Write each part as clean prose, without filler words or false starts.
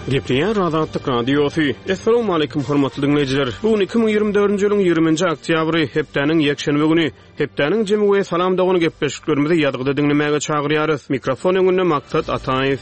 Gepleýär Azatlyk Radiosy. Assalamualaikum hormatly diňleýjiler. Bu gün 2024-nji ýylyň 20-nji oktýabry, hepdäniň ýekşenbe güni. Hepdäniň jemi we Salam dogan gepleşiklerimizi ýazgyda diňlemäge çagyrýarys. Mikrofon öňünde Maksat Ataýew.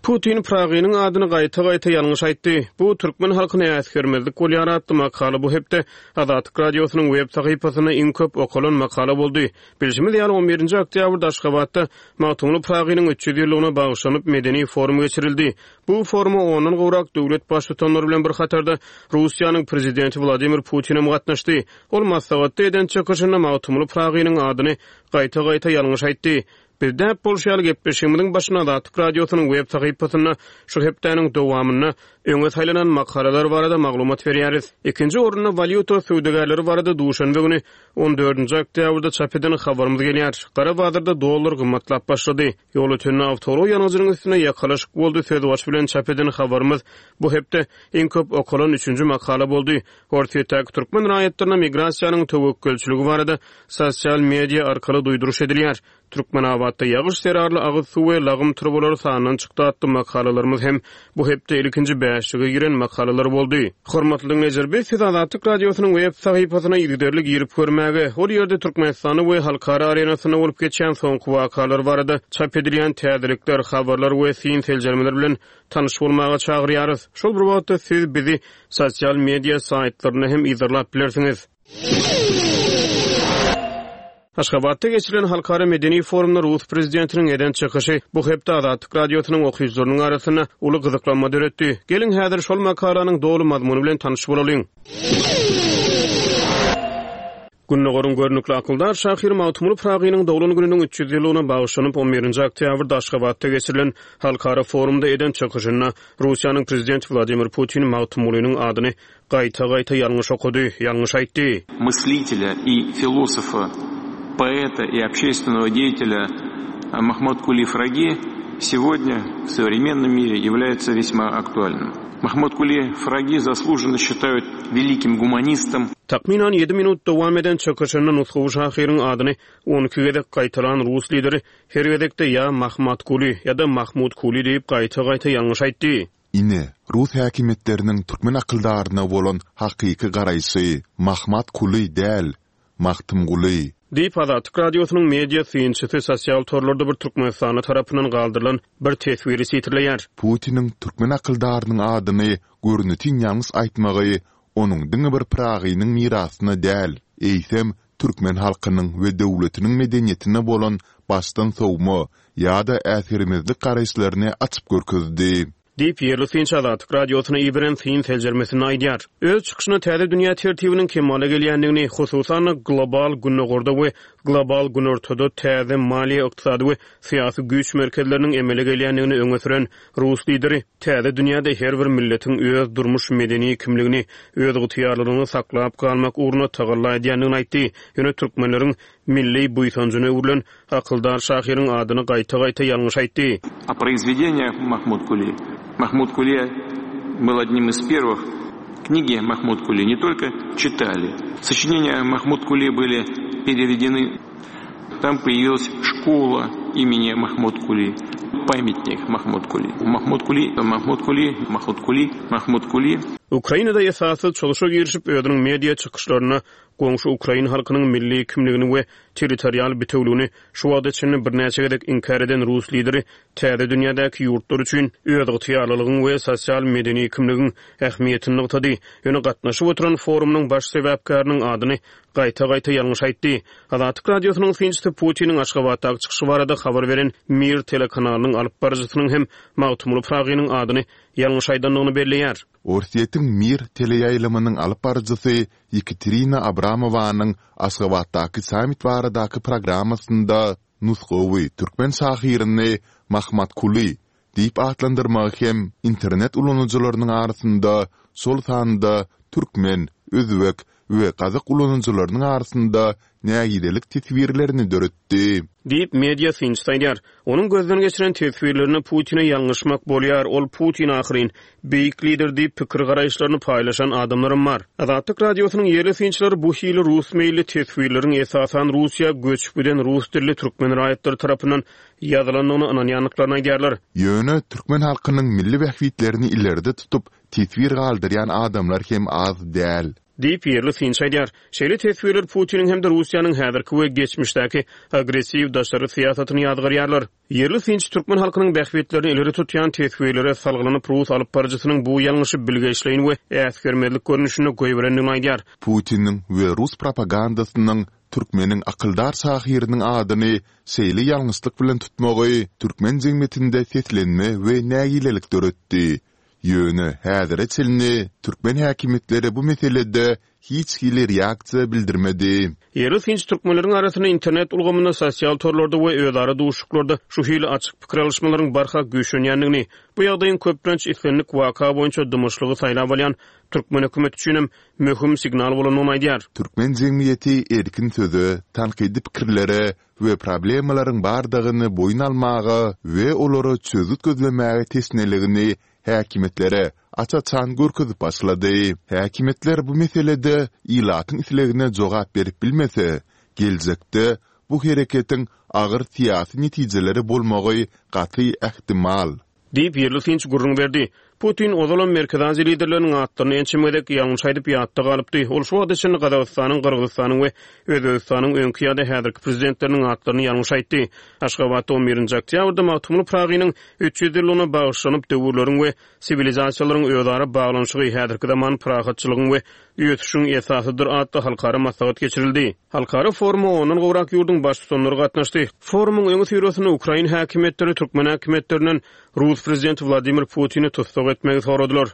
Putin Pragynyň adyny gaýta-gaýta ýalňyş aýtdy. Bu türkmen halkyny äsgermezlik bolýar atly makala bu hepde Azatlyk Radiosynyň web sahypasynda iň köp okalan makala boldy. Bilşimiz ýaly, on birinji oktýabrda Aşgabatda Magtymguly Pyragynyň 300 ýyllygyna bagyşlanyp medeni forum geçirildi. Bu foruma ondan gowrak döwlet baştutanlary bilen bir hatarda Russiýanyň Prezidenti Wladimir Putinem gatnaşdy. Ol maslahatda eden çykyşynda Magtymguly Pyragynyň adyny gaýta-gaýta ýalňyş aýtdy. Biz däp bolşy ýaly gepleşigimiziň başynda Azatlyk Radiosynyň web sahypasynda şu hepdäniň dowamynda öňe saýlanan makalalar barada maglumat berýäris. Ikinji orunda walýuta söwdagärleri barada duşenbe güni on dördünji oktýabrda çap eden habarymyz gelýär. Gara bazarda dollar gymmatlap başlady. Ýolötende awtoulag ýangyjynyň üstünde ýakalaşyk boldy sözbaşy bilen çap eden habarymyz bu hepde iň köp okalan üçünji makala boldy. Orsýetdäki türkmen raýatlaryna migrasiýanyň töwekgelçiligi barada sosial media arkaly duýduryş edilýär. Türkmenabatda ýagyş zerarly agyz suw we lagym turbalary sandan çykdy atly makalalarymyz hem bu hepde ilkinji bäşlige giren makalalar boldy. Hormatly diňleýjiler, biz sizi Azatlyk Radiosynyň web sahypasyna yzygiderli girip görmäge, ol ýerde Türkmenistanda we halkara arenasynda bolup geçýän soňky wakalar barada çap edilýän täzelikler, habarlar we syn-seljermeler bilen tanyş bolmaga çagyrýarys. Şol bir wagtda siz bizi sosial media saýtlarynda hem yzarlap bilersiňiz. Aşgabatda geçirilen halkara medeni forumda rus prezidentiniň eden çykyşy bu hepde Azatlyk Radiosynyň okyjylarynyň arasynda uly gyzyklanma döretdi. Geliň, häzir şol makalanyň doly mazmuny bilen tanyş bolalyň. Gündogaryň görnükli akyldar şahyry Magtymguly Pyragynyň doglan gününiň 300 ýyllygyna bagyşlanyp, on birinji oktýabrda Aşgabatda geçirilen halkara forumda eden çykyşynda Russiýanyň Prezidenti Wladimir Putin Magtymgulynyň adyny gaýta-gaýta ýalňyş okady, ýalňyş aýtdy. Мыслителя и философа, поэта и общественного деятеля Махмуткули Фраги сегодня в современном мире является весьма актуальным. Mahmytguly Fragi заслуженно считают великим гуманистом. Takmynan ýedi minut dowam eden çykyşynda nusgawy şahyryň adyny 12 gezek gaýtalan rus lideri her gezekde ýa Mahmatguly, ýa-da Mahmutkuly diýip gaýta-gaýta ýalňyş aýtdy. Ine, rus häkimiýetleriniň türkmen akyldaryna bolan hakyky garaýşy, Mahmatkuly däl, Magtymguly. Diýip, Azatlyk Radiosynyň media synçysy sosial torlarda bir türkmenistanly tarapyndan galdyrylan bir teswiri sitirleýär. Putiniň türkmen akyldarynyň adyny görnetin ýalňyş aýtmagy onuň diňe bir Pyragynyň mirasyna däl, eýsem, türkmen halkynyň we döwletiniň medeniýetine bolan başdan sowma ýa-da äsgermezlik garaýyşlaryny açyp görkezdi. Diýip, ýerli synçy Azatlyk Radiosyna iberen syn-seljermesinde aýdýar. Öz çykyşynda täze dünýä tertibiniň kemala gelýändigini, hususan-da, global Gündogarda we global Günortada täze maliýe-ykdysady we syýasy güýç merkezleriniň emele gelýändigini öňe süren rus lideri täze dünýäde her bir milletiň öz durmuş-medeni kimligini, özygtyýarlylygyny saklap galmak ugrunda tagalla edýändigini aýtdy. Ýöne türkmenleriň milli buýsanjyna öwrülen Akyldar şahyryň adyny gaýta-gaýta ýalňyş aýtdy. O произведениях Mahmud-Kuli. Mahmud-Kuli был одним из первых. Книги Mahmud-Kuli не только читали. Сочинения Mahmud-Kuli были переведены. Там появилась школа имени Mahmud-Kuli, памятник Mahmud-Kuli. Mahmud-Kuli, Mahmud-Kuli, Mahmud-Kuli, Mahmud-Kuli. Ukrainada esassyz çozuşa girişip, özüniň media çykyşlarynda goňşy ukrain halkynyň milli kimligini we territorial bitewligini şu wagta çenli birnäçe gezek inkär eden rus lideri täze dünýädäki ýurtlar üçin özygtyýarlylygyň we sosial-medeni kimligiň ähmiýetini nygtady. Ýöne gatnaşyp oturan forumynyň baş sebäpkäriniň adyny gaýta-gaýta ýalňyş aýtdy. Azatlyk Radiosynyň synçysy Putiniň Aşgabatdaky çykyşy barada habar beren Mir telekanalynyň alyp baryjysynyň hem Magtymguly Pyragynyň adyny ýalňyş aýdandygyny belleýär. Orsýetiň Mir teleýaýlymynyň alyp baryjysy Ýekaterina Abramowanyň Aşgabatdaky sammit baradaky programmasynda nusgawy türkmen şahyryny Mahmatkuly diýip atlandyrmagy hem internet ulanyjylarynyň arasynda, şol sanda türkmen, özbek we gazak ulanyjylarynyň arasynda nägilelik teswirlerini döretdi. Diýip, media synçysy aýdýar. Onuň gözden geçiren teswirlerinde Putine ýalňyşmak bolýar, ol Putin ahyryn, beýik lider diýip pikir-garaýyşlaryny paýlaşan adamlaram bar. Azatlyk Radiosynyň ýerli synçylary bu hili rus meýilli teswirleriň esasan Russiýa göçüp giden rus dilli türkmen raýatlary tarapyndan ýazylandygyna ynanýandyklaryny aýdýarlar. Ýöne türkmen halkynyň milli bähbitlerini ileri tutup teswir galdyrýan adamlar hem az däl. Diýip, ýerli synçy aýdýar. Şeýle teswirler Putiniň hem-de Russiýanyň häzirki we geçmişdäki agressiw daşary syýasatyny ýazgarýarlar. Ýerli synçy türkmen halkynyň bähbitlerini ileri tutýan teswirlere salgylanyp, rus alypbaryjysynyň bu ýalňyşy bilgeşleýin we äsgermezlik görnüşinde goýberendigini aýdýar. Putiniň we rus propagandasynyň türkmeniň akyldar şahyrynyň adyny şeýle ýalňyşlyk bilen tutmagy türkmen jemgyýetinde seslenme we nägilelik döretdi. Ýöne häzire çenli türkmen häkimiýetleri bu meselede hiç hili reaksiýa bildirmedi. Ýerli synçy türkmenleriň arasynda internet ulgamynda, sosial torlarda we özara duşuşyklarda şu hili açyk pikir alyşmalaryň barha güýçlenýändigini, bu ýagdaýyň köplenç islendik waka boýunça dymyşlygy saýlap alýan türkmen hökümeti üçinem möhüm signal bolandygyny aýdýar. Türkmen jemgyýeti erkin söze, tankydy pikirlere we problemalaryň bardygyny boýun almaga we olara çözgüt gözlemäge teşneligini häkimiýetlere aç-açan görkezip başlady. Häkimiýetler bu meselede ilatyň islegine jogap berip bilmese, geljekde bu hereketiň agyr syýasy netijeleri bolmagy gaty ähtimal. Diýip, ýerli synçy gürrüň berdi. Putin ozalam Merkezi Aziýa liderleriniň atlaryny ençeme gezek ýalňyş aýdyp ýatda galypdy. Ol şu wagta çenli Gazagystanyň, Gyrgyzystanyň we Özbegistanyň öňki ýa-da häzirki prezidentleriniň atlaryny ýalňyş aýtdy. Aşgabatda on birinji oktýabrda Magtymguly Pyragynyň 300 ýyllygyna bagyşlanyp Döwürleriň we siwilizasiýalaryň özara baglanyşygy häzirki zaman parahatçylygyň we ösüşiň esasydyr atly halkara maslahat geçirildi. Halkara foruma ondan gowrak ýurduň baştutanlary gatnaşdy. Forumyň öňüsyrasynda ukrain häkimiýetleri türkmen häkimiýetlerinden rus prezidenti Wladimir Putini tussag etmegi soradylar.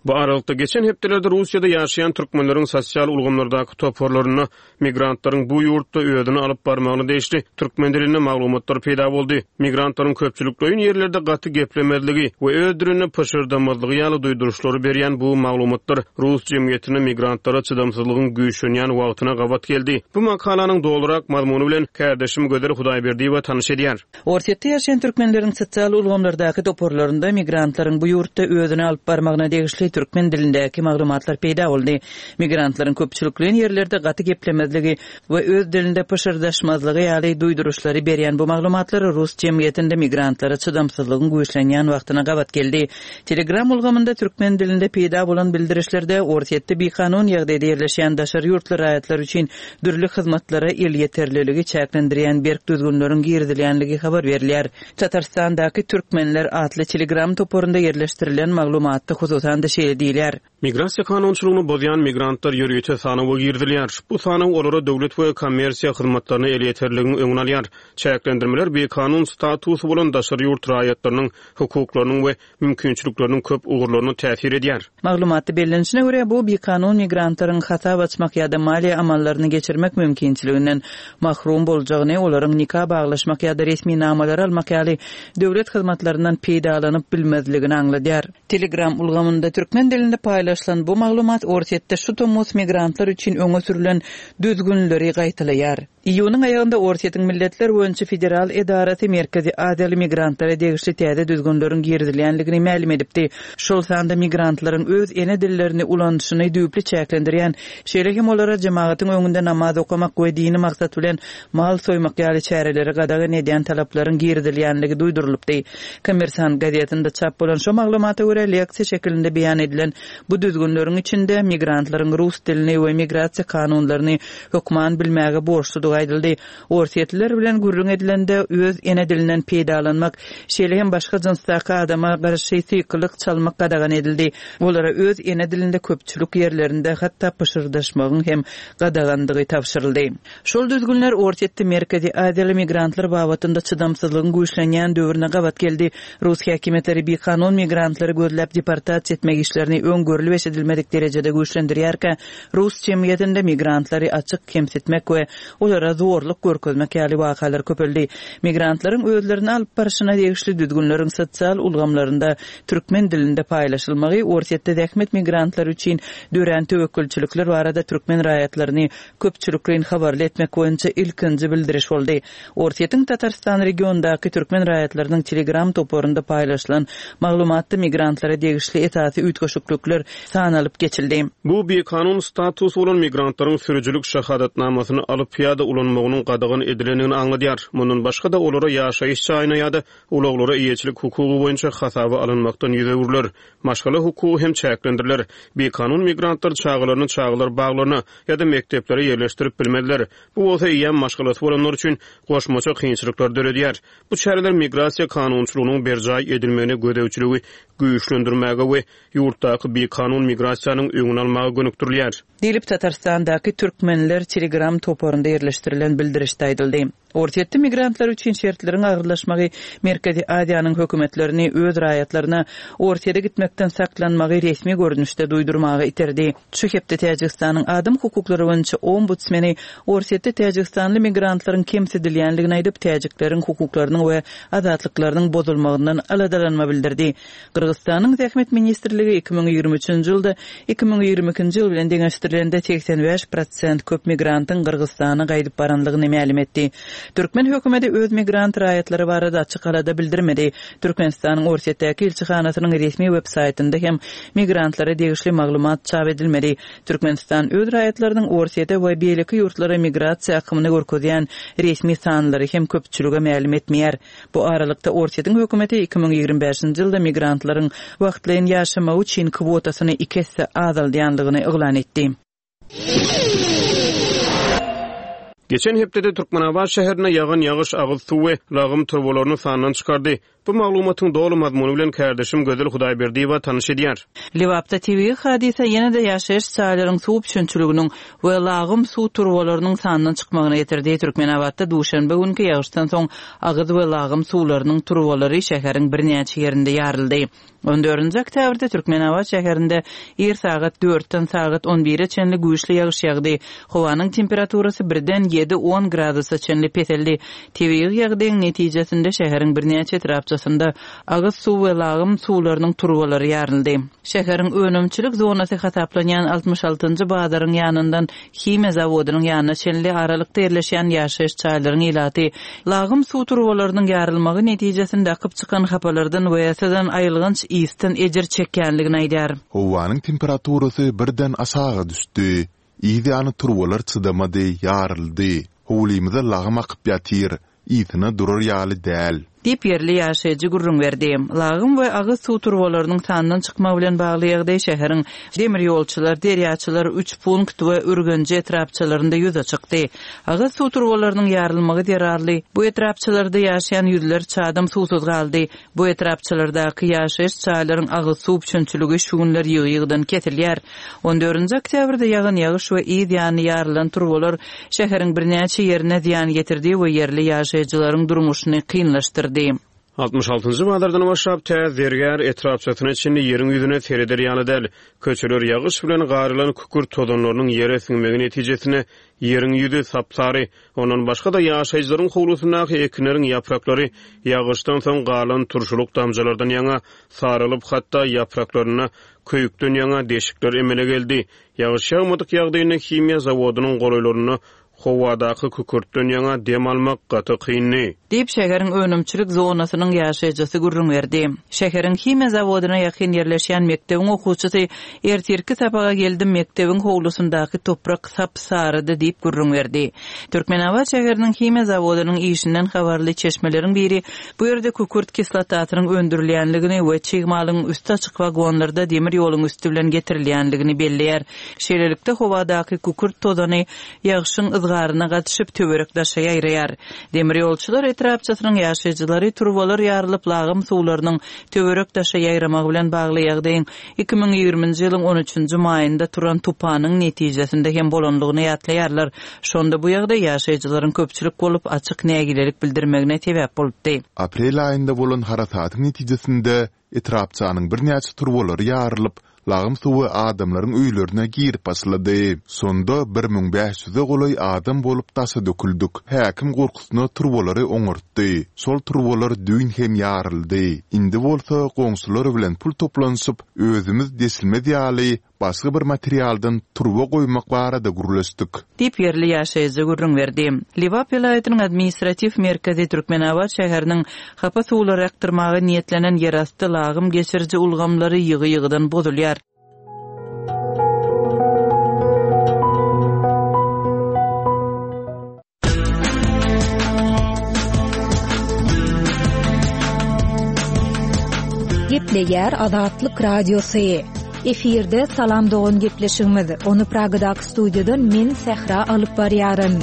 Bu aralykda, geçen hepdelerde Russiýada ýaşaýan türkmenleriň sosial ulgamlardaky toparlarynda Migrantlaryň bu ýurtda özüni alyp barmagyna degişli türkmen dilinde maglumatlar peýda boldy. Migrantlaryň köpçülikleýin ýerlerde gaty geplemezligi we öz dilinde pyşyrdamazlygy ýaly duýduryşlary berýän bu maglumatlar rus jemgyýetinde migrantlara çydamsyzlygyň güýçlenýän wagtyna gabat geldi. Bu makalanyň dolurak mazmuny bilen kärdeşim Gözel Hudaýberdiýewa tanyş edýär. Orsýetde ýaşaýan türkmenleriň sosial ulgamlardaky toparlarynda migrantlaryň bu ýurtda özüni alyp barmagyna degişli türkmen dilindäki maglumatlar peýda boldy. Migrantlaryň köpçülikleýin ýerlerde gaty geplemezligi we öz dilinde pyşyrdaşmazlygy ýaly duýduryşlary berýän bu maglumatlar rus jemgyýetinde migrantlara çydamsyzlygyň güýçlenýän wagtyna gabat geldi. Telegram ulgamynda türkmen dilinde peýda bolan bildirişlerde Orsýetde bikanun ýagdaýda ýerleşýän daşary ýurtly raýatlar üçin dürli hyzmatlara elýeterliligi çäklendirýän berk düzgünleriň girizilýänligi habar berilýär. Tatarystandaky Türkmenler atly Telegram toparynda ýerleşdirilen maglumatda hususan-da şeýle diýilýär. Migrasiýa kanunçylygyny bozýan migrantlar ýörite sanawa girizilýär. Bu sanaw olara döwlet we kommersiýa hyzmatlaryna elýeterligiň öňüni alýar. Çäklendirmeler bikanun statusy bolan daşary ýurt raýatlarynyň hukuklarynyň we mümkinçilikleriniň köp ugurlaryna täsir edýär. Maglumatda bellenişine görä, bu bikanun migrantlaryň hasap açmak ýa-da maliýe amallaryny geçirmek mümkinçiliginden mahrum boljagyny, olaryň nika baglaşmak ýa-da resminamalary almak ýaly döwlet hyzmatlaryndan peýdalanyp bilmezligini aňladýar. Telegram ulgamynda türkmen dilinde paýlaşylan bu maglumat Orsýetde şu tomus migrantlar üçin öňe sürlen düzgünleri gaýtalaýar. Iýunyň aýagynda Orsýetiň Milletler boýunça federal edarasy Merkezi Aziýaly migrantlara degişli täze düzgünleriň girizilýändigini mälim edipdi. Şol sanda migrantlaryň öz ene dillerini ulanyşyny düýpli çäklendirýän, şeýle hem olara jemagatyň öňünde namaz okamak we dini maksat bilen mal soýmak ýaly çäreleri gadagan edýän talaplaryň girizilýänligi duýdurylypdy. Kommersant gazetinde çap bolan şo maglumata görä, leksiýa şekilinde beýan edilen bu düzgünleriň içinde migrantlaryň rus dilini we migrasiýa kanunlaryny hökman bilmäge borçludygy aýdyldy. Orsýetliler bilen gürrüň edilende öz ene dilinden peýdalanmak, şeýle hem başga jynsdaky adama garşy sykylyk çalmak gadagan edildi. Olara öz ene dilinde köpçülik ýerlerinde hatda pyşyrdaşmagyň hem gadagandygy tabşyryldy. Şol düzgünler Orsýetde Merkezi Aziýaly migrantlar babatynda çydamsyzlygyň güýçlenýän döwrüne gabat geldi. Rus häkimiýetleri bikanun migrantlary gözläp deportasiýa etmek işlerini öň görlüp-eşidilmedik derejede güýçlendirýärkä, rus jemgyýetinde migrantlary açyk kemsitmek we olaryň. olara zorluk görkezmek ýaly wakalar köpeldi. Migrantlaryň özlerini alyp barşyna degişli düzgünleriň sosial ulgamlarynda türkmen dilinde paýlaşylmagy Orsýetde zähmet migrantlary üçin dörän töwekgelçilikler barada türkmen raýatlaryny köpçülikleýin habarly etmek boýunça ilkinji bildiriş boldy. Orsýetiň Tatarystan regionyndaky türkmen raýatlarynyň Telegram toparynda paýlaşylan maglumatda migrantlara degişli esasy üýtgeşiklikler sanalyp geçildi. Bu bikanun statusy bolan migrantlaryň sürüjilik şahadatnamasyny alyp ýa-da ulanmagynyň gadagan edilendigini aňladýar. Mundan başga-da, olara ýaşaýyş jaýyna ýa-da ulaglara eýeçilik hukugy boýunça hasaba alynmakdan ýüz öwrüler. Maşgala hukugy hem çäklendiriler. Bikanun migrantlar çagalaryny çagalar baglaryna ýa-da mekdeplere ýerleşdirip bilmezler. Bu bolsa eýýäm maşgalasy bolanlar üçin goşmaça kynçylyklary döredýär. Bu çäreler migrasiýa kanunçylygynyň berjaý edilmegine gözegçiligi güýçlendirmäge we ýurtdaky bikanun migrasiýanyň öňüni almaga gönükdirilýär. Diýlip, Tatarystandaky Türkmenler Telegram toparynda ýerleşdirilen bildirişde aýdyldy. Orsýetde migrantlar üçin şertleriň agyrlaşmagy Merkezi Aziýanyň hökümetlerini öz raýatlaryna Orsýede gitmekden saklanmagy resmi görnüşde duýdurmaga iterdi. Şu hepde Täjigistanyň adam hukuklary boýunça ombudsmeni Orsýetde täjigistanly migrantlaryň kemsidilýändigini aýdyp, täjikleriň hukuklarynyň we azatlyklarynyň bozulmagyndan aladalanma bildirdi. Gyrgyzystanyň Zähmet ministrligi 2023-nji ýylda 2022-nji ýyl bilen deňeşdirilende 85 prosent köp migrantyň Gyrgyzystana gaýdyp baranlygyny mälim etdi. Türkmen hökümeti öz migrant raýatlary barada açyk alada bildirmedi. Türkmenistanyň Orsýetdäki ilçihanasynyň resmi web saýtynda hem migrantlara degişli maglumat çap edilmedi. Türkmenistan öz raýatlarynyň Orsýete we beýleki ýurtlara migrasiýa akymyny görkezýän resmi sanlary hem köpçülige mälim etmeýär. Bu aralykda, Orsýetiň hökümeti 2025-nji ýylda migrantlaryň wagtlaýyn ýaşamagy üçin kwotasyny iki esse azaldýandygyny yglan etdi. Geçen hepdede Türkmenabat şäherinde ýagan ýagyş agyz suw we lagym turbalaryny sandan çykardy. Bu maglumatyň doly mazmuny bilen kärdeşim Gözel Hudaýberdiýewa tanyş edýär. Lebapda tebigy hadysa ýene-de ýaşaýyş jaýlaryň suw üpjünçiliginiň we lagym suw turbalarynyň sandan çykmagyna getirdi. Türkmenabatda duşenbe günki ýagyşdan soň agyz we lagym suwlarynyň turbalary şäheriň birnäçe ýerinde ýaryldy. On dördünji oktýabrda Türkmenabat şäherinde ir sagat dörtden sagat on bire çenli güýçli ýagyş ýagdy. Howanyň temperaturasy birden ýedi-on gradusa çenli peseldi. Tebigy ýagdaýyň netijesinde şäheriň birnäçe etrapçasynda agyz suw we lagym suwlarynyň turbalary ýaryldy. Şäheriň önümçilik zonasy hasaplanýan 66-njy bazaryň ýanyndan Himiýa zawodynyň ýanyna çenli aralykda ýerleşýän ýaşaýyş jaýlaryň ilaty lagym suw turbalarynyň ýarylmagy netijesinde akyp çykan hapalardan we syzan aýylganç ysdan ejir çekýändigini aýdýar. Howanyň temperaturasy birden aşaga düşdi. Yz ýany turbalar çydamady, ýaryldy. Howlymyza lagym akyp ýatyr. Ysyna durar ýaly däl. Diýip, ýerli ýaşaýjy gürrüň berdi. Lagym we agyz suw turbalarynyň sandan çykmagy bilen bagly ýagdaý şäheriň Demirýolçylar, Derýaçylar, Üçpunkt we Ürgenji etrapçalarynda ýüze çykdy. Agyz suw turbalarynyň ýarylmagy zerarly bu etrapçalarda ýaşaýan ýüzlerçe adam suwsuz galdy. Bu etrapçalardaky ýaşaýyş jaýlaryň agyz suw üpjünçiligi şu günler ýygy-ýygydan kesilýär. On dördünji oktýabrda ýagan ýagyş we yz ýany ýarylan turbalar şäheriň birnäçe ýerine zyýan getirdi we ýerli ýaşaýjylaryň durmuşyny kynlaşdyrdy. Altmyş altynjy bazardan başlap tä Zergär etrapçasyna çenli ýeriň ýüzüne sereder ýaly däl. Köçeler ýagyş bilen garylan kükürt tozanlarynyň ýere siňmegi netijesinde ýeriň ýüzi sap-sary. Ondan başga-da ýaşaýjylaryň howlusyndaky ekinleriň ýapraklary ýagyşdan soň galan turşulyk damjalardan ýaňa saralyp, hatda ýapraklarynda köýükden ýaňa deşikler emele geldi. Ýagyş ýagmadyk ýagdaýynda himiýa zawodynyň golaýlarynda howadaky kükürtden ýaňa dem almak gaty kyndy. Diýip, şäheriň önümçilik zonasynyň ýaşaýjysy gürrüň berdi. Şäheriň himiýa zawodyna ýakyn ýerleşýän mekdebiň okuwçysy Ertirki sapaga geldim, mekdebiň howlusyndaky toprak sap-sarydy diýip gürrüň berdi. Türkmenabat şäheriniň himiýa zawodynyň işinden habarly çeşmeleriň biri bu ýerde kükürt kislotasynyň öndürilýänligini we çig malyň üsti açyk wagonlarda demir ýoluň üsti bilen getirilýänligini belleýär. Şeýlelikde, howadaky kükürt tozany ýagşyň yzgaryna gatyşyp, töwerek-daşa ýaýraýar. Demir ýolçular etrapçasynyň ýaşaýjylary turbalar ýarylyp, lagym suwlarynyň töwerek-daşa ýaýramagy bilen bagly ýagdaýyň 2020-nji ýylyň on üçünji maýynda turan tupanyň netijesinde hem bolandygyny ýatlaýarlar. Şonda bu ýagdaý ýaşaýjylaryň köpçülik bolup açyk nägilelik bildirmegine sebäp bolupdy. Aprel aýynda bolan harasatyň netijesinde etrapçanyň birnäçe turbalary ýarylyp, Lagym suwy adamlaryň öýlerine girip başlady. Şonda 1500-e golaý adam bolup daşa döküldik. Häkim gorkusyna turbalary oňartdy. Şol turbalar düýn hem ýaryldy. Indi bolsa goňşular bilen pul toplanyşyp, özümiz deşilmez ýaly başga bir materialdan turba goýmak barada gürleşdik. Diýip, ýerli ýaşaýjy gürrüň berdi. Lebap welaýatynyň administratiw merkezi Türkmenabat şäheriniň hapa suwlary akdyrmaga niýetlenen ýerasty lagym geçiriji ulgamlary ýygy-ýygydan bozulýar. Gepleýär Azatlyk Radiosy. Efirde Salam dogan gepleşigimiz. Ony Pragadaky studiýadan men Sähra alyp barýaryn.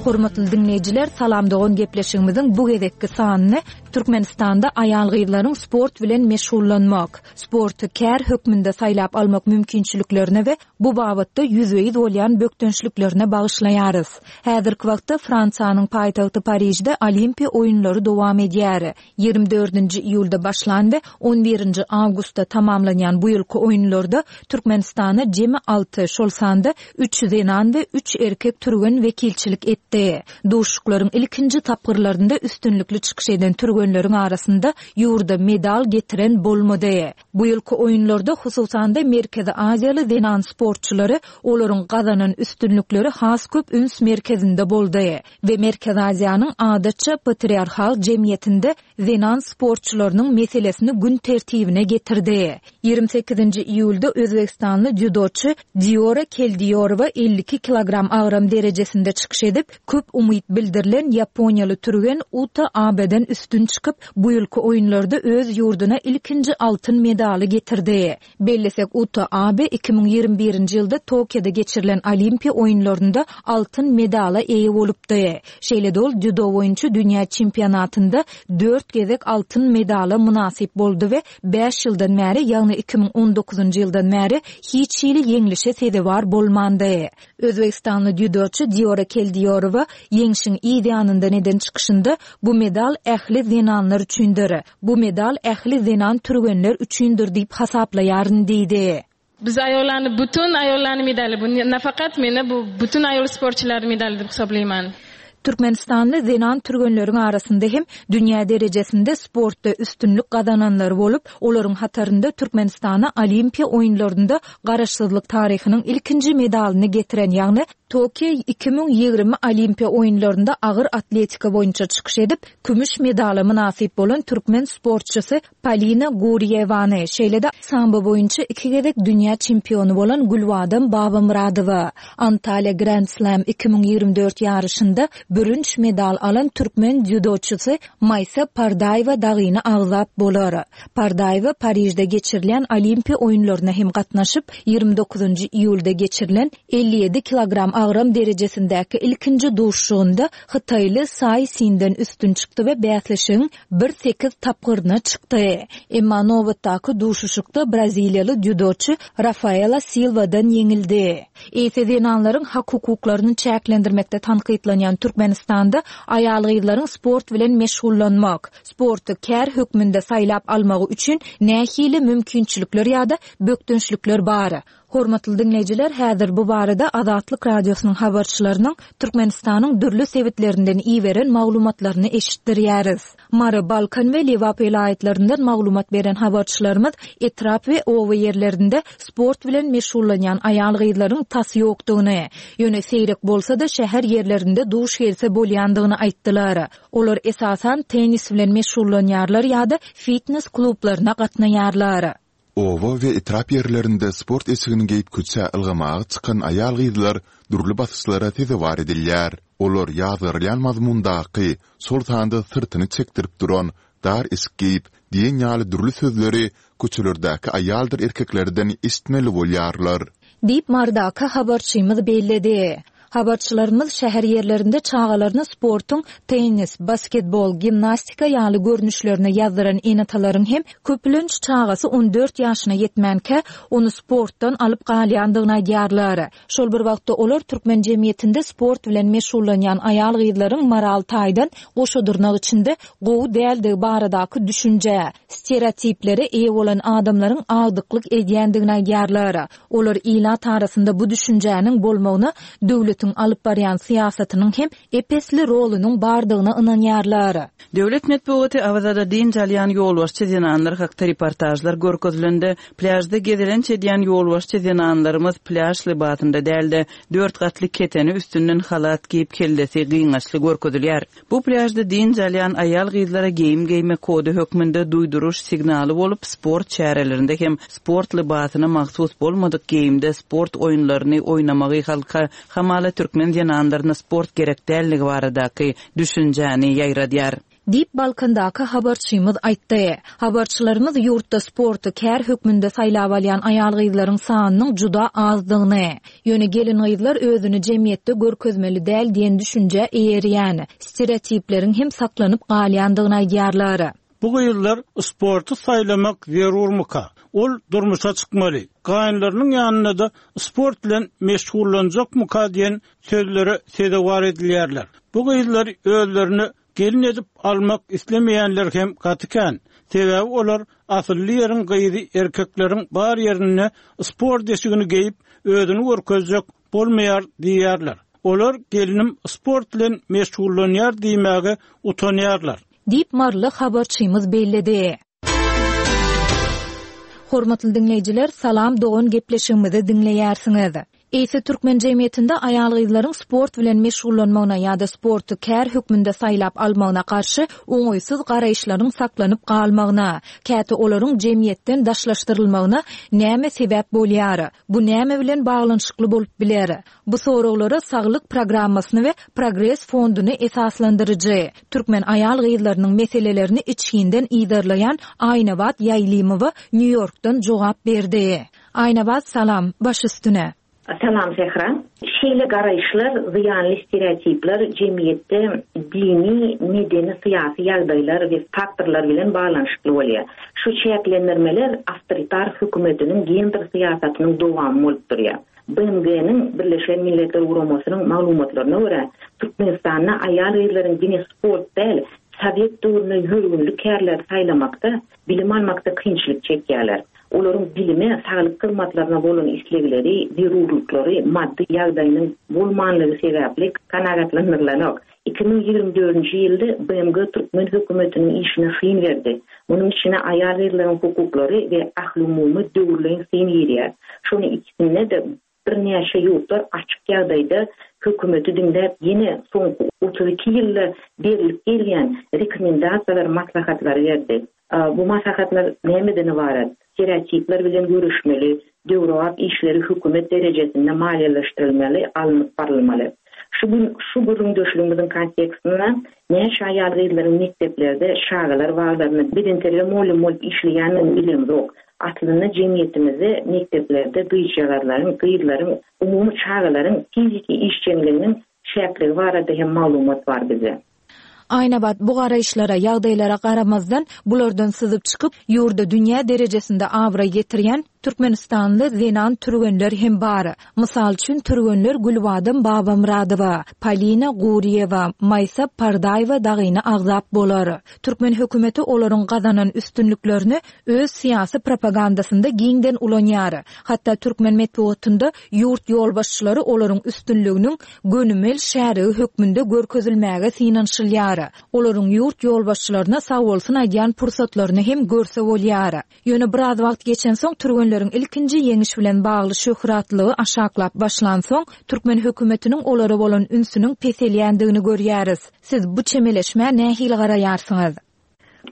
Hormatly diňleýjiler, Salam dogan gepleşigimiziň bu gezekki sanyny Türkmenistanda aýal-gyzlaryň sport bilen meşgullanmak, sporty kär hökmünde saýlap almak mümkinçiliklerine we bu babatda ýüzbe-ýüz bolýan bökdençliklerine bagyşlaýarys. Häzirki wagtda Fransiýanyň paýtagty Parižde Olimpiýa oýunlary dowam edýär. 24-nji iýulda başlan we on birinji awgustda tamamlanýan bu ýylky oýunlarda Türkmenistana jemi alty, şol sanda üç zenan we üç erkek türgen wekilçilik etdi. Duşuşyklaryň ilkinji tapgyrlarynda üstünlikli çykyş eden türgenleriň arasynda ýurda medal getiren bolmady. Bu ýylky oýunlarda, hususan-da, Merkezi Aziýaly zenan sportçylary, olaryň gazanan üstünlikleri has köp üns merkezinde boldy we Merkezi Aziýanyň adatça patriarhal jemgyýetinde zenan sportçylarynyň meselesini gün tertibine getirdi. 28-nji iýulda özbegistanly dzýudoçy Diora Keldiýorowa 52 kilogram agram derejesinde çykyş edip, köp umyt bildirilen ýaponiýaly türgen Uta Abeden üstün çykyp, bu ýylky oýunlarda öz ýurduna ilkinji altyn medaly getirdi. Bellesek, Uta Abe 2021-nji ýylda Tokioda geçirilen Olimpiýa oýunlarynda altyn medala eýe bolupdy. Şeýle-de ol dzýudo boýunça dünýä çempionatynda dört gezek altyn medala mynasyp boldy we bäş ýyldan bäri, ýagny 2019-njy ýyldan bäri hiç hili ýeňlişe sezewar bolmandy. Özbegistanly dzýudoçy Diora Keldiýorowa ýeňşiň yz ýanyndan eden çykyşynda, Bu medal ähli zenanlar üçindir. Bu medal ähli zenan türgenler üçindir diýip hasaplaýaryn diýdi. Biz aýollany bütin aýollany medaly bu nafakat meni bu bütin aýol sportçylary medaly dip hisoblaýman. Türkmenistanly zenan türgenleriň arasynda hem dünýä derejesinde sportda üstünlik gazananlary bolup, olaryň hatarynda Türkmenistana Olimpiýa oýunlarynda Garaşsyzlyk taryhynyň ilkinji medalyny getiren, ýagny Tokio 2020 Olimpiýa oýunlarynda agyr atletika boýunça çykyş edip, kümüş medala mynasyp bolan türkmen sportçysy Polina Gurýewany, şeýle-de sambo boýunça iki gezek dünýä çempiony bolan Gülbadam Babamyradowa, Antalýa Grand Slam 2024 ýaryşynda bürünç medal alan türkmen dzýudoçysy Maýsa Pardaýewa dagyny agzap bolar. Pardaýewa Parižde geçirilýän Olimpiýa oýunlaryna hem gatnaşyp, 29-njy iýulda geçirilen 57 kilogram agram derejesindäki ilkinji duşuşygynda hytaýly Saý Sinden üstün çykdy we bäsleşigiň bir sekiz tapgyryna çykdy. Emma nobatdaky duşuşykda braziliýaly dzýudoçy Rafaela Silwadan ýeňildi. Eýse zenanlaryň hak-hukuklaryny çäklendirmekde tankytlanýan Türkmenistanda aýal-gyzlaryň sport bilen meşgullanmak, sporty kär hökmünde saýlap almagy üçin nähili mümkinçilikler ýa-da bökdençlikler bar? Hormatly diňleýjiler, häzir bu barada Azatlyk Radiosynyň habarçylarynyň Türkmenistanyň dürli sebitlerinden iberen maglumatlaryny eşitdirýäris. Mary, Balkan we Lebap welaýatlaryndan maglumat beren habarçylarymyz etrap we oba ýerlerinde sport bilen meşgullanýan aýal-gyzlaryň tas ýokdugyny, ýöne seýrek bolsa-da şäher ýerlerinde duş gelse bolýandygyny aýtdylar. Olar esasan tennis bilen meşgullanýarlar ýa-da fitnes klublaryna gatnaýarlar. Oba we etrap ýerlerinde sport eşigini geýip köçä ylgamaga çykan aýal-gyzlar dürli basyşlara sezewar edilýär. Olar ýazgarylýan mazmundaky, şol sanda syrtyny çekdirip duran, dar eşik geýip diýen ýaly dürli sözleri köçelerdäki aýaldyr erkeklerden eşitmeli bolýarlar. Diýip, Marydaky habarçymyz belledi. Habarçylarymyz şäher ýerlerinde çagalaryny sportuň tennis, basketbol, gimnastika ýaly görnüşlerine ýazdyran ene-atalaryň hem köplenç çagasy 14 ýaşyna ýetmänkä, ony sportdan alyp galýandygyny aýdýarlar. Şol bir wagtda olar türkmen jemgyýetinde sport bilen meşgullanýan aýal-gyzlaryň moral taýdan goşa dyrnak içinde gowy däldigi baradaky düşünjä, stereotiplere eýe bolan adamlaryň agdyklyk edýändigini aýdýarlar. Olar ilat arasynda bu düşünjäniň bolmagyna döwletiň alyp barýan syýasatynyň hem ep-esli rolunyň bardygyna ynanýarlar. Döwlet metbugaty Awazada dynç alýan ýolbaşçy zenanlar hakda reportažlar görkezilende, plýažda gezelenç edýän ýolbaşçy zenanlarymyz plýaž lybasynda däl-de, dört gatly keteni üstünden halat geýip kellesi gyňaçly görkezilýär. Bu plýažda dynç alýan aýal-gyzlara geýim geýme kody hökmünde duýduryş signaly bolup, sport çärelerinde hem sport lybasyna mahsus bolmadyk geýimde sport oýunlaryny oýnamagy halka hamala türkmen zenanlaryna sport gerek däldigi baradaky düşünjäni ýaýradýar. Diýip, Balkandaky habarçymyz aýtdy. Habarçylarymyz ýurtda sporty kär hökmünde saýlap alýan aýal-gyzlaryň sanynyň juda azdygyny, ýöne gelin-gyzlar özüni jemgyýetde görkezmeli däl diýen düşünjä eýerýän, stereotipleriň hem saklanyp galýandygyny aýdýarlar. Bu gyzlar sporty saýlamak zerurmyka? Ol durmuşa çykmaly, gaýynlarynyň ýanynda-da sport bilen meşgullanjakmyka diýen sözlere sezewar edilýärler. Bu gyzlary özlerine Gelin edip almak islemeýänler hem gaty kän. Sebäbi olar asylly ýeriň gyzy erkekleriň bar ýerinde sport eşigini geýip özüni görkezjek bolmaýar diýýärler. Olar gelnim sport bilen meşgullanýar diýmäge utanýarlar. Diýip, maryly habarçymyz belledi. Hormatly diňleýjiler, Salam dogan gepleşigimizi diňleýärsiňiz. Eýse türkmen jemgyýetinde aýal-gyzlaryň sport bilen meşgullanmagyna ýa-da sporty kär hökmünde saýlap almagyna garşy oňaýsyz garaýyşlaryň saklanyp galmagyna, käte olaryň jemgyýetden daşlaşdyrylmagyna näme sebäp bolýar? Bu näme bilen baglanyşykly bolup biler? Bu soraglara Saglyk programmasyny we Progres fonduny esaslandyryjy, türkmen aýal-gyzlarynyň meselelerini içginden yzarlaýan Aýnabat Ýaýlymowa Nýu-Ýorkdan jogap berdi. Aýnabat, salam, baş üstüne. Salam Sähra. Şeýle garaýyşlar, zyýanly stereotipler jemgyýetde dini, medeni, syýasy ýagdaýlar we faktorlar bilen baglanyşykly bolýar. Şu çäklendirmeler awtoritar hökümetiniň gender syýasatynyň dowamy bolup durýar. BMG-niň, Birleşen Milletler Guramasynyň, maglumatlaryna görä, Türkmenistanda aýal-gyzlaryň diňe sport däl, sowet döwründe ýörgünli kärleri saýlamakda, bilim almakda kynçylyk çekýärler. Olaryň bilime, saglyk hyzmatlaryna bolan islegleri, zerurlyklary maddy ýagdaýynyň bolmanlygy sebäpli kanagatlandyrylanok. 2024-nji ýylda BMG türkmen hökümetiniň işine syn berdi. Munuň içine aýal-gyzlaryň hukuklary we ahlumumy döwürleýin syn girýär. Şonuň ikisinde-de birnäçe ýurtlar açyk ýagdaýda hökümeti diňläp ýene soňky 32 ýylda berlip gelýän rekomendasiýalary, maslahatlary berdi. Bu maslahatlar nämeden ybarat? Stereotipler bilen göreşmeli, döwrebap işleri hökümet derejesinde maliýeleşdirilmeli, alnyp barylmaly. Şu gün şu gürrüňdeşligimiziň kontekstinde näçe aýal-gyzlaryň mekdeplerde, çagalar baglarynda bedenterbiýe mugallymy bolup işleýändigini bilemzok. Aslynda jemgyýetimizde mekdeplerde gyzjagazlaryň, gyzlaryň, umumy çagalaryň fiziki işjeňliginiň çäkligi barada hem maglumat bar bizde. Aýnabat bu garaýyşlara, ýagdaýlara garamazdan, bulardan syzyp çykyp, ýurda dünýä derejesinde abraý getirýän türkmenistanly zenan türgenler hem bar. Mysal üçin, türgenler Gülbadam Babamyradowa, Polina Gurýewa, Maýsa Pardaýewa dagyny agzap bolar. Türkmen hökümeti olaryň gazanan üstünliklerini öz syýasy propagandasynda giňden ulanýar. Hatda türkmen metbugatynda ýurt ýolbaşçylary olaryň üstünliginiň gönümel şärigi hökmünde görkezilmäge synanyşylýar. Olaryň ýurt ýolbaşçylaryna sagbolsun aýdýan pursatlaryny hem görse bolýar. Ýöne biraz wagt geçensoň türgenleriň ilkinji ýeňiş bilen bagly şöhratlygy aşaklap başlansoň, türkmen hökümetiniň olara bolan ünsüniň peselýändigini görýäris. Siz bu çemeleşmä nähili garaýarsyňyz?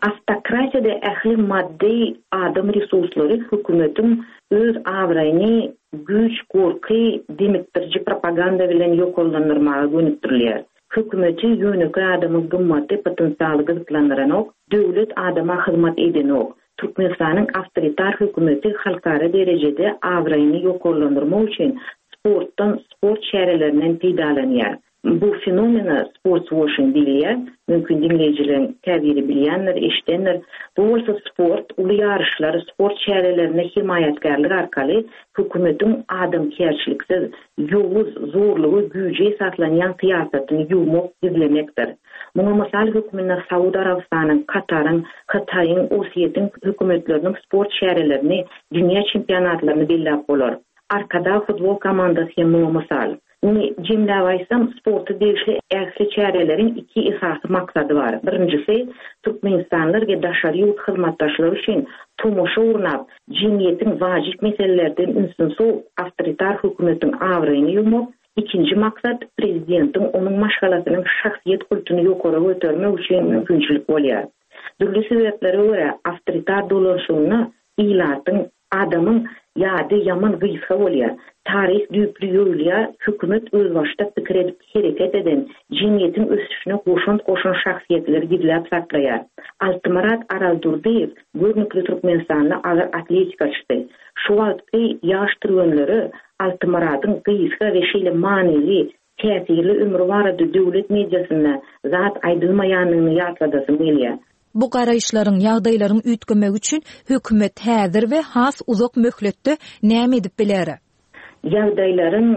Awtokratiýada ähli maddy, adam resurslary hökümetiň öz abraýyny güýç, gorky, demikdiriji propaganda bilen ýokarlandyrmaga gönükdirilýär. Hökümeti ýönekeý adamyň gymmaty, potensialy gyzyklandyranok, döwlet adama hyzmat edenok. Türkmenistanyň awtoritar hökümeti halkara derejede abraýyny ýokarlandyrmak üçin. sportdan, sport çärelerinden peýdalanýar. Bu fenomene sportswoşing diýilýär. Mümkin diňleýjileriň käbiri bilýändir, eşidendir. Bu bolsa sport, uly ýaryşlar, sport çärelerine hemaýatkärlik arkaly hökümetiň adamkärçiliksiz, ýowuz, zorluga, güýje esaslanýan syýasatyny ýuwmak, gizlemekdir. Muňa mysal hökmünde Saud Arabystanyň, Kataryň, Hytaýyň, Orsýetiň hökümetleriniň sport çärelerini, dünýä çempionatlaryny belläp bolar. Arkadag futbol komandasy hem muňa mysal. Indi jemläp aýtsam, sporta degişli ähli çäreleriň iki esasy maksady bar. Birinjisi, türkmenistanlylar we daşary ýurt hyzmatdaşlary üçin tomaşa gurnap, jemgyýetiň wajyp meselelerden ünsüni sowup, awtoritar hökümetiň abraýyny ýuwmak, ikinji maksat, prezidentiň, onuň maşgalasynyň şahsyýet kultuny ýokara götermek üçin mümkinçilik bolýar. Dürli sebäplere görä, awtoritar dolanşygynda ilatyň Adamyň ýady ýaman gysga bolýar. Taryh düýpli ýoýulýar, hökümet özbaşdak pikir edip hereket eden, jemgyýetiň ösüşine goşant goşan şahsyýetleri gizläp saklaýar. Altymyrat Araldurdyýew görnükli türkmenistanly agyr atletikaçysy. Şu wagtky ýaş türgenlere Altymyradyň gysga we şeýle manyly, Täsirli ömri barada döwlet mediasynda zat aýdylmaýanyny ýatladasym gelýär. Bu garaýyşlaryň, ýagdaýlaryň üýtgemegi üçin hökümet häzir we has uzak möhletde näme edip biler? Ýagdaýlaryň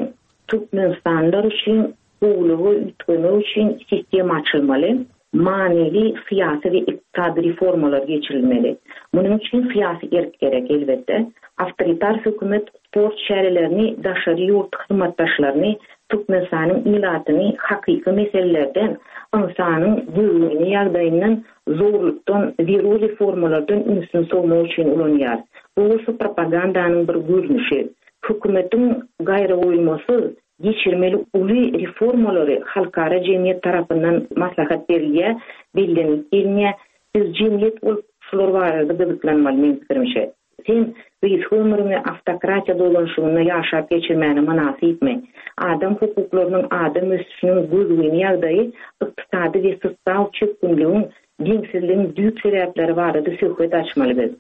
türkmenistanlylar üçin gowulyga üýtgemegi üçin sistema açylmaly. Manyly syýasy we ykdysady reformalar geçirilmeli. Munuň üçin syýasy erk gerek, elbetde. Awtoritar hökümet sport çärelerini daşary ýurt hyzmatdaşlaryny, Türkmenistanyň ilatyny hakyky meselelerden, ynsanyň göwrüni ýagdaýyndan, zorlukdan, zerur reformalardan ünsüni sowmak üçin ulanýar. Bu bolsa propagandanyň bir görnüşi. Hökümetiň gaýragoýulmasyz Geçirmeli uly reformalary halkara jemgyýet tarapyndan maslahat berilýär, bellenilip gelinýär. Biz jemgyýet bolup şular barada gyzyklanmaly meň pikirimçe. Sen gysga ömrüňi awtokratiýa dolanyşygynda ýaşap geçirmäne mynasypmy? Adam hukuklarynyň, adam ösüşiniň gözgyny ýagdaýy ykdysady we sosial çökgünligiň, deňsizligiň düýp sebäpleri barada söhbet açmaly biz.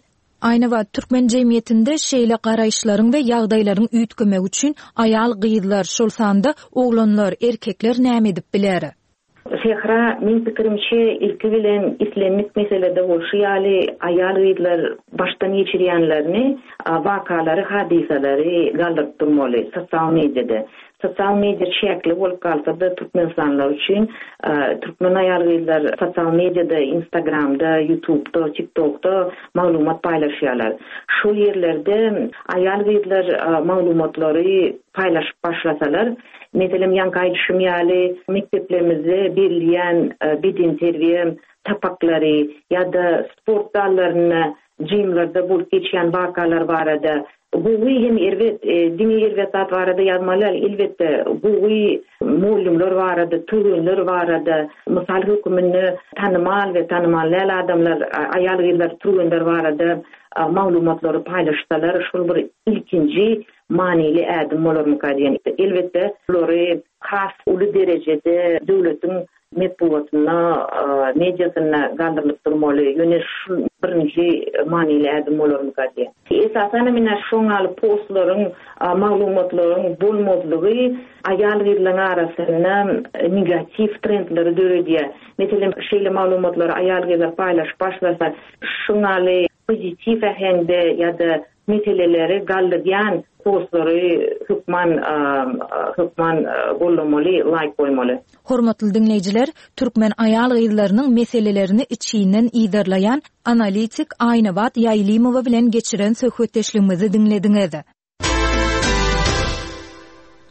Aýnabat, türkmen jemgyýetinde şeýle garaýyşlaryň we ýagdaýlaryň üýtgemegi üçin aýal-gyzlar, şol sanda oglanlar, erkekler näme edip biler? Sähra, meň pikirimçe, ilki bilen islendik meselede bolşy ýaly, aýal-gyzlar başdan geçirýänlerini, wakalary, hadysalary galdyryp durmaly sosial mediada. Sosial media çäkli bolup galsa-da türkmenistanlylar üçin türkmen aýal-gyzlar sosial mediada Instagramda, Ýutubda, TikTokda maglumat paýlaşýarlar. Şol ýerlerde aýal-gyzlar maglumatlary paýlaşyp başlasalar, meselem ýaňky aýdyşym ýaly mekdeplerimizde berilýän bedenterbiýe sapaklary ýa-da sport zallarynda jimlerde bolup geçýän wakalar barada Gowy hem erbet, diňe erbet zat barada ýazmaly däl, elbetde, gowy mugallymlar barada, türgenler barada, mysal höküminde tanymal we tanymal däl adamlar, aýal-gyzlar, türgenler barada maglumatlary paýlaşsalar, şol bir ilkinji manyly ädim bolarmyka diýen. Elbetde, bulary has uly derejede döwletiň Metbugatynda, mediasynda galdyrylyp durmaly. Ýöne şu birinji manyly ädim bolarmyka diýýän. Esasanam ine şoň ýaly postlaryň, maglumatlaryň bolmazlygy aýal-gyzlaryň arasynda negatiw trendleri döredýär. Meselem, şeýle maglumatlary aýal-gyzlar paýlaşyp başlasa, şuň ýaly pozitiw äheňde ýa-da Meseleleri galdyrýan postlary hökman hökman gollamaly laýk goýmaly. Hormatly diňleýjiler, türkmen aýal-gyzlarynyň meselelerini içginden yzarlaýan analitik Aýnabat Ýaýlymowa bilen geçiren söhbetdeşligimizi diňlediňiz.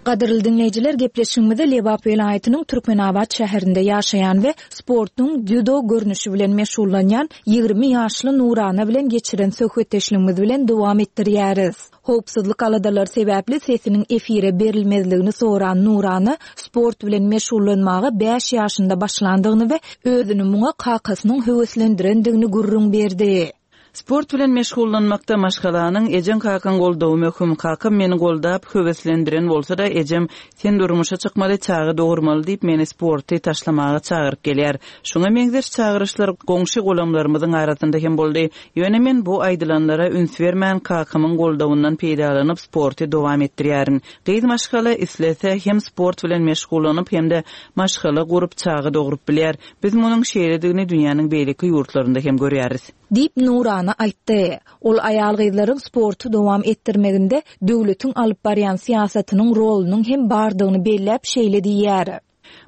Gadyrly diňleýjiler, gepleşigimizi Lebap welaýatynyň Türkmenabat şäherinde ýaşaýan we sportuň dzýudo görnüşi bilen meşgullanýan 20 ýaşly Nurana bilen geçiren söhbetdeşligimiz bilen dowam etdirýäris. Howpsuzlyk aladalary sebäpli sesiniň efire berilmezligini soran Nurana sport bilen meşgullanmaga bäş ýaşynda başlandygyny we özüni muňa kakasynyň höweslendirendigini gürrüň berdi. Sport bilen meşgullanmakda maşgalanyň, ejeň-kakaň goldawy möhüm. Kakam meni goldap, höweslendiren bolsa-da, ejem, Sen durmuşa çykmaly, çaga dogurmaly diýip, meni sporty taşlamaga çagyryp gelýär. Şuňa meňzeş çagyryşlar goňşy-golamlarymyzyň arasynda hem boldy. Ýöne men bu aýdylanlara üns bermän, kakamyň goldawyndan peýdalanyp, sporty dowam etdirýärin. Gyz maşgala islese, hem sport bilen meşgullanyp, hem-de maşgala gurup, çaga dogrup bilýär. Biz munuň şeýledigini dünýäniň beýleki ýurtlarynda hem görýäris. Diýip, Nurana aýtdy. Ol aýal-gyzlaryň sporty dowam etdirmeginde döwletiň alyp barýan syýasatynyň rolunyň hem bardygyny belläp şeýle diýýär.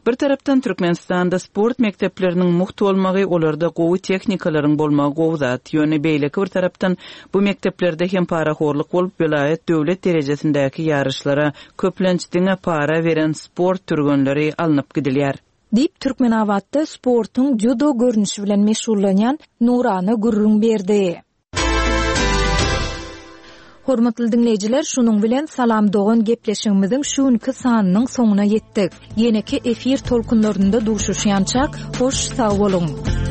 Bir tarapdan, Türkmenistanda sport mekdepleriniň mugt bolmagy, olarda gowy tehnikalaryň bolmagy gowy zat. Ýöne beýleki bir tarapdan, bu mekdeplerde hem parahorluk bolup, welaýat, döwlet derejesindäki ýaryşlara köplenç diňe para beren sport türgenleri alnyp gidilýär. Diýip, Türkmenabatda sportuň dzýudo görnüşi bilen meşgullanýan Nurana gürrüň berdi. Hormatly diňleýjiler, şunuň bilen Salam dogan gepleşigimiziň şu günki sanynyň soňuna ýetdik. Ýeneki efir tolkunlarynda duşuşýançak, hoş sag boluň!